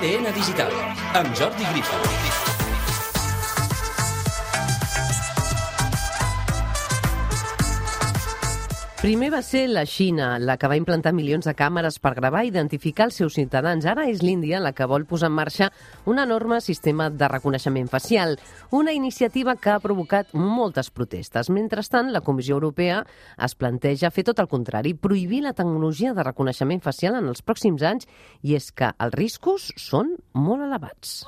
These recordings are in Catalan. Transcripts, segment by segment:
ADN Digital, amb Jordi Grifol. Primer va ser la Xina, la que va implantar milions de càmeres per gravar i identificar els seus ciutadans. Ara és l'Índia la que vol posar en marxa un enorme sistema de reconeixement facial, una iniciativa que ha provocat moltes protestes. Mentrestant, la Comissió Europea es planteja fer tot el contrari, prohibir la tecnologia de reconeixement facial en els pròxims anys, i és que els riscos són molt elevats.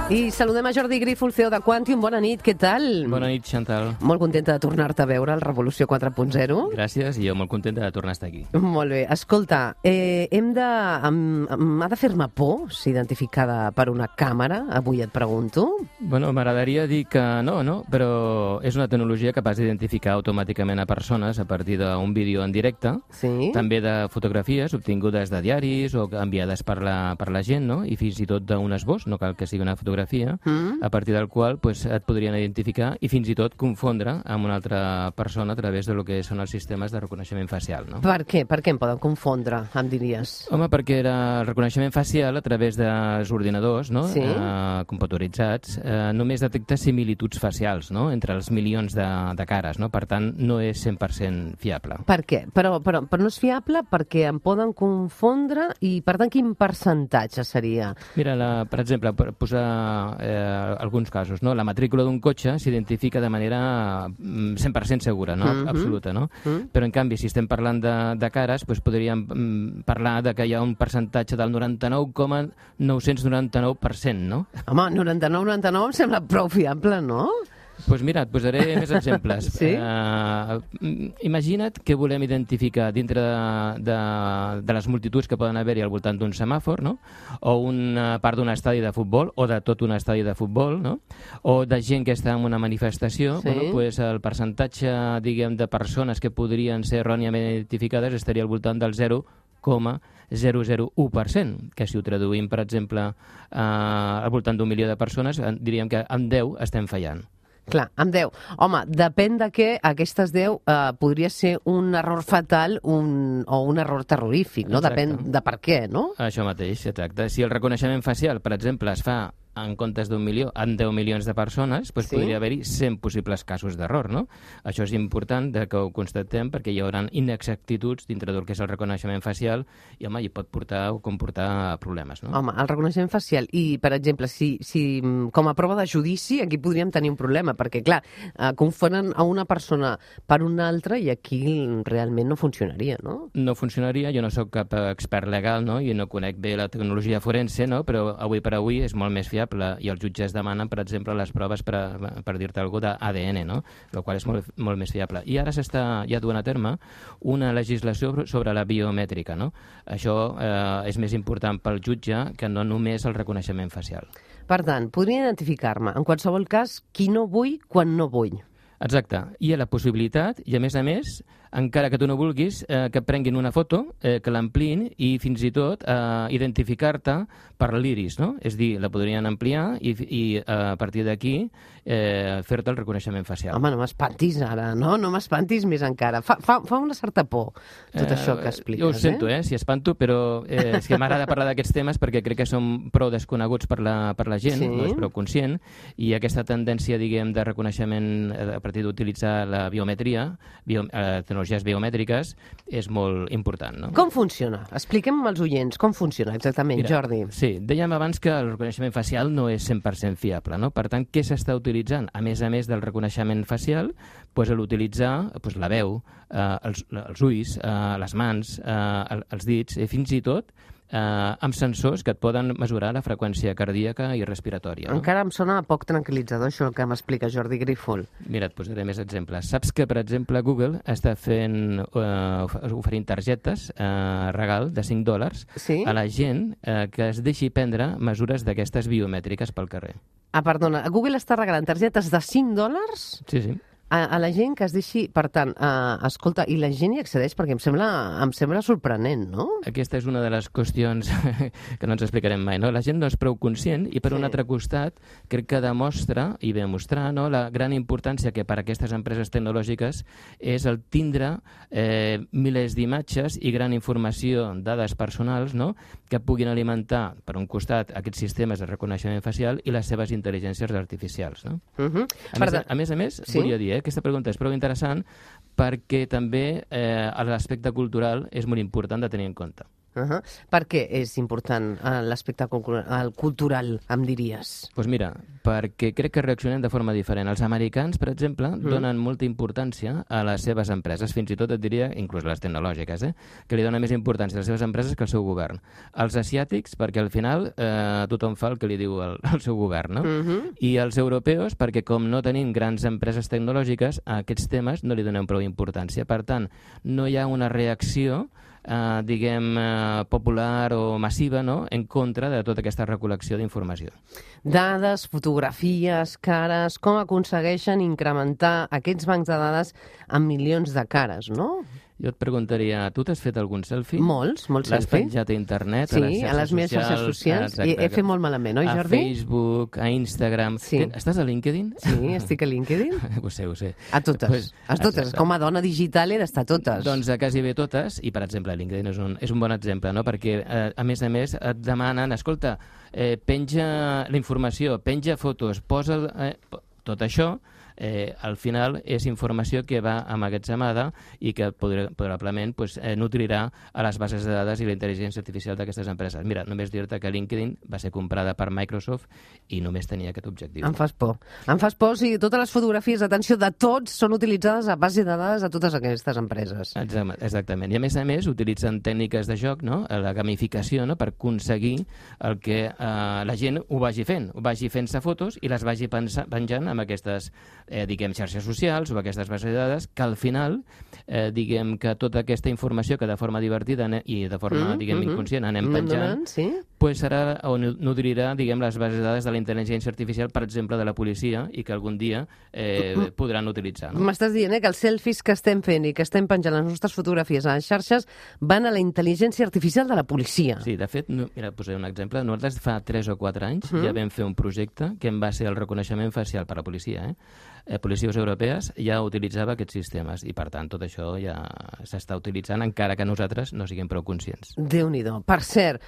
I saludem a Jordi Grifol, CEO de Quantium. Bona nit, què tal? Bona nit, Chantal. Molt contenta de tornar-te a veure al Revolució 4.0. Gràcies, i jo molt contenta de tornar a estar aquí. Molt bé. Escolta, m'ha de fer-me por ser identificada per una càmera? Avui et pregunto. Bueno, m'agradaria dir que no, però és una tecnologia capaç d'identificar automàticament a persones a partir d'un vídeo en directe, Sí? també de fotografies obtingudes de diaris o enviades per la gent, no? I fins i tot d'un esbós, no cal que sigui una fotografia, a partir del qual et podrien identificar i fins i tot confondre amb una altra persona a través de lo que són els sistemes de reconeixement facial, no? Per què? Per què em poden confondre, em diries? Home, perquè el reconeixement facial a través dels ordinadors, no? Sí. Computaritzats, només detecta similituds facials, no? Entre els milions de cares, no? Per tant, no és 100% fiable. Per què? Però no és fiable perquè em poden confondre i, per tant, quin percentatge seria? Mira, per exemple, per posar alguns casos, no? La matrícula d'un cotxe s'identifica de manera 100% segura, no? Absoluta, no? Però, en canvi, si estem parlant de cares, doncs podríem parlar de que hi ha un percentatge del 99,999%, no? Home, 99 em sembla prou fiable, no? Doncs mira, et posaré més exemples. Sí? Imagina't que volem identificar dintre de les multituds que poden haver-hi al voltant d'un semàfor, no? O una part d'un estadi de futbol, o de tot un estadi de futbol, no? O de gent que està en una manifestació. Sí. Bueno, pues el percentatge, diguem, de persones que podrien ser erròniament identificades estaria al voltant del 0,001%, que si ho traduïm, per exemple, al voltant d'1 milió de persones, diríem que amb 10 estem fallant. Clar, amb 10. Home, depèn de què aquestes 10 podria ser un error fatal o un error terrorífic, no? Exacte. Depèn de per què, no? Això mateix, exacte. Si el reconeixement facial, per exemple, es fa en comptes d'1 milió, en 10 milions de persones, doncs Sí. podria haver-hi 100 possibles casos d'error, no? Això és important que ho constatem perquè hi haurà inexactituds dintre del que és el reconeixement facial i, home, hi pot portar o comportar problemes, no? Home, el reconeixement facial i, per exemple, si com a prova de judici, aquí podríem tenir un problema, perquè, clar, confonen a una persona per una altra i aquí realment no funcionaria, no? No funcionaria, jo no sóc cap expert legal, no? I no conec bé la tecnologia forense, no? Però avui per avui és molt més fiable i els jutges demanen, per exemple, les proves per dir-te alguna cosa d'ADN, no? El qual és molt més fiable. I ara s'està ja duent a terme una legislació sobre la biomètrica, no? Això és més important pel jutge que no només el reconeixement facial. Per tant, podria identificar-me, en qualsevol cas, qui no vull quan no vull. Exacte. Hi ha la possibilitat, i a més, encara que tu no vulguis, que prenguin una foto, que l'ampliïn i fins i tot identificar-te per l'iris, no? És dir, la podrien ampliar i a partir d'aquí fer-te el reconeixement facial. Home, no m'espantis ara, no? No m'espantis més encara. Fa una certa por tot això que expliques, Jo ho sento, si espanto, però és que m'agrada parlar d'aquests temes perquè crec que són prou desconeguts per la gent, Sí. no és prou conscient, i aquesta tendència, diguem, de reconeixement a partir d'utilitzar la biometria, tecnologies biomètriques, és molt important, no? Com funciona? Expliquem als oients com funciona exactament, Mira, Jordi. Sí, dèiem abans que el reconeixement facial no és 100% fiable, no? Per tant, què s'està utilitzant? A més del reconeixement facial, doncs l'utilitzar la veu, els ulls, les mans, els dits, fins i tot amb sensors que et poden mesurar la freqüència cardíaca i respiratòria. No? Encara em sona poc tranquil·litzador això que m'explica Jordi Grifol. Mira, et posaré més exemples. Saps que, per exemple, Google està oferint targetes regal de $5 Sí? a la gent que es deixi prendre mesures d'aquestes biomètriques pel carrer. Perdona, Google està regalant targetes de $5? Sí, sí. a la gent que es deixi... Per tant, escolta, i la gent hi accedeix perquè em sembla sorprenent, no? Aquesta és una de les qüestions que no ens explicarem mai, no? La gent no és prou conscient i, per un altre costat, crec que demostra, i ve a mostrar, no?, la gran importància que per a aquestes empreses tecnològiques és el tindre milers d'imatges i gran informació, dades personals, no?, que puguin alimentar, per un costat, aquests sistemes de reconeixement facial i les seves intel·ligències artificials, no? A més, sí? volia dir, aquesta pregunta és prou interessant perquè també l'aspecte cultural és molt important de tenir en compte. Per què és important l'aspecte cultural, em diries? Doncs mira, perquè crec que reaccionem de forma diferent. Els americans, per exemple, donen molta importància a les seves empreses, fins i tot et diria, inclús les tecnològiques, que li donen més importància a les seves empreses que al seu govern. Els asiàtics, perquè al final tothom fa el que li diu el seu govern, no? I els europeus, perquè com no tenim grans empreses tecnològiques, a aquests temes no li donem prou importància. Per tant, no hi ha una reacció popular o massiva, no?, en contra de tota aquesta recol·lecció d'informació. Dades, fotografies, cares, com aconsegueixen incrementar aquests bancs de dades amb milions de cares, no? Jo et preguntaria, tu t'has fet algun selfie? Molts selfie. L'has penjat a internet, a les meves xarxes socials. He fet molt malament, oi, Jordi? A Facebook, a Instagram. Sí. Estàs a LinkedIn? Sí, estic a LinkedIn. Ho sé. A totes. A totes. Com a dona digital he d'estar a totes. Doncs a quasi bé totes, i per exemple LinkedIn és un bon exemple, no? Perquè a més et demanen, escolta, penja la informació, penja fotos, posa tot això. Al final és informació que va emmagatzemada i que probablement nutrirà a les bases de dades i la intel·ligència artificial d'aquestes empreses. Mira, només dir-te que LinkedIn va ser comprada per Microsoft i només tenia aquest objectiu. Em fas por. Em fas por si totes les fotografies, atenció, de tots són utilitzades a base de dades a totes aquestes empreses. Exactament. I a més utilitzen tècniques de joc, no?, la gamificació, no?, per aconseguir el que la gent ho vagi fent-se fotos i les vagi penjant amb aquestes xarxes socials o aquestes bases de dades, que al final, que tota aquesta informació que de forma divertida i de forma, inconscient anem penjant, serà o nodrirà, les bases de dades de la intel·ligència artificial, per exemple, de la policia, i que algun dia podran utilitzar. M'estàs dient que els selfies que estem fent i que estem penjant les nostres fotografies a les xarxes van a la intel·ligència artificial de la policia. Sí, de fet, mira, posaré un exemple. Nosaltres fa 3 o 4 anys ja vam fer un projecte que en va ser el reconeixement facial per a la policia, policies europees ja utilitzava aquests sistemes i, per tant, tot això ja s'està utilitzant, encara que nosaltres no siguem prou conscients. Déu-n'hi-do. Per cert,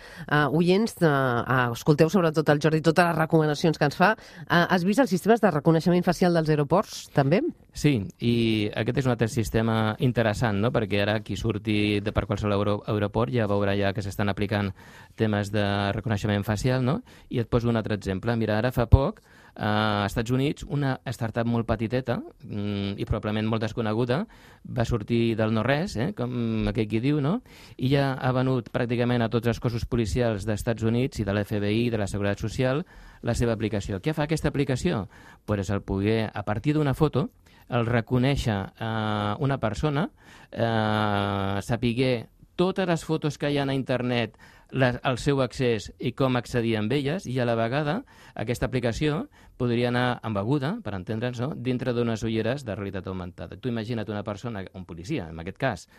oients, escolteu sobretot el Jordi totes les recomanacions que ens fa. Has vist els sistemes de reconeixement facial dels aeroports, també? Sí, i aquest és un altre sistema interessant, no?, perquè ara qui surti per qualsevol aeroport ja veurà ja que s'estan aplicant temes de reconeixement facial, no? I et poso un altre exemple. Mira, ara fa poc, a Estats Units, una startup molt petiteta i probablement molt desconeguda va sortir del no-res, com aquell qui diu, no? I ja ha venut pràcticament a tots els cossos policials dels Units i de l'FBI, de la Seguretat Social, la seva aplicació. Què fa aquesta aplicació? Pues el poder, a partir d'una foto, el reconèixer una persona, saber totes les fotos que hi ha a internet, el seu accés i com accedir amb elles, i a la vegada aquesta aplicació podria anar embeguda, per entendre'ns, no?, dintre d'unes ulleres de realitat augmentada. Tu imagina't una persona, un policia en aquest cas,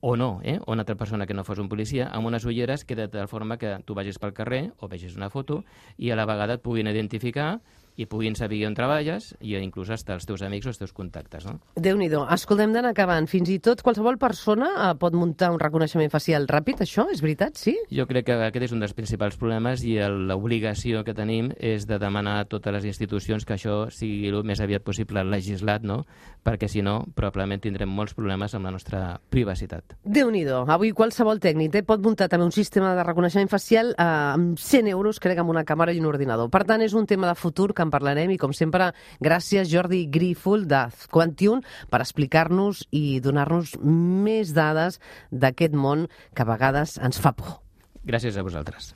o una altra persona que no fos un policia, amb unes ulleres que de tal forma que tu vagis pel carrer o vegis una foto i a la vegada et puguin identificar i puguin saber on treballes i inclús hasta els teus amics o els teus contactes, no? Déu-n'hi-do. Escoltem, d'anar acabant. Fins i tot qualsevol persona pot muntar un reconeixement facial ràpid, això? És veritat, sí? Jo crec que aquest és un dels principals problemes i l'obligació que tenim és de demanar a totes les institucions que això sigui el més aviat possible legislat, no? Perquè si no, probablement tindrem molts problemes amb la nostra privacitat. Déu-n'hi-do. Avui qualsevol tècnic pot muntar també un sistema de reconeixement facial amb 100 euros, crec, amb una càmera i un ordinador. Per tant, és un tema de futur que en parlarem i, com sempre, gràcies Jordi Grífol de Quantium per explicar-nos i donar-nos més dades d'aquest món que a vegades ens fa por. Gràcies a vosaltres.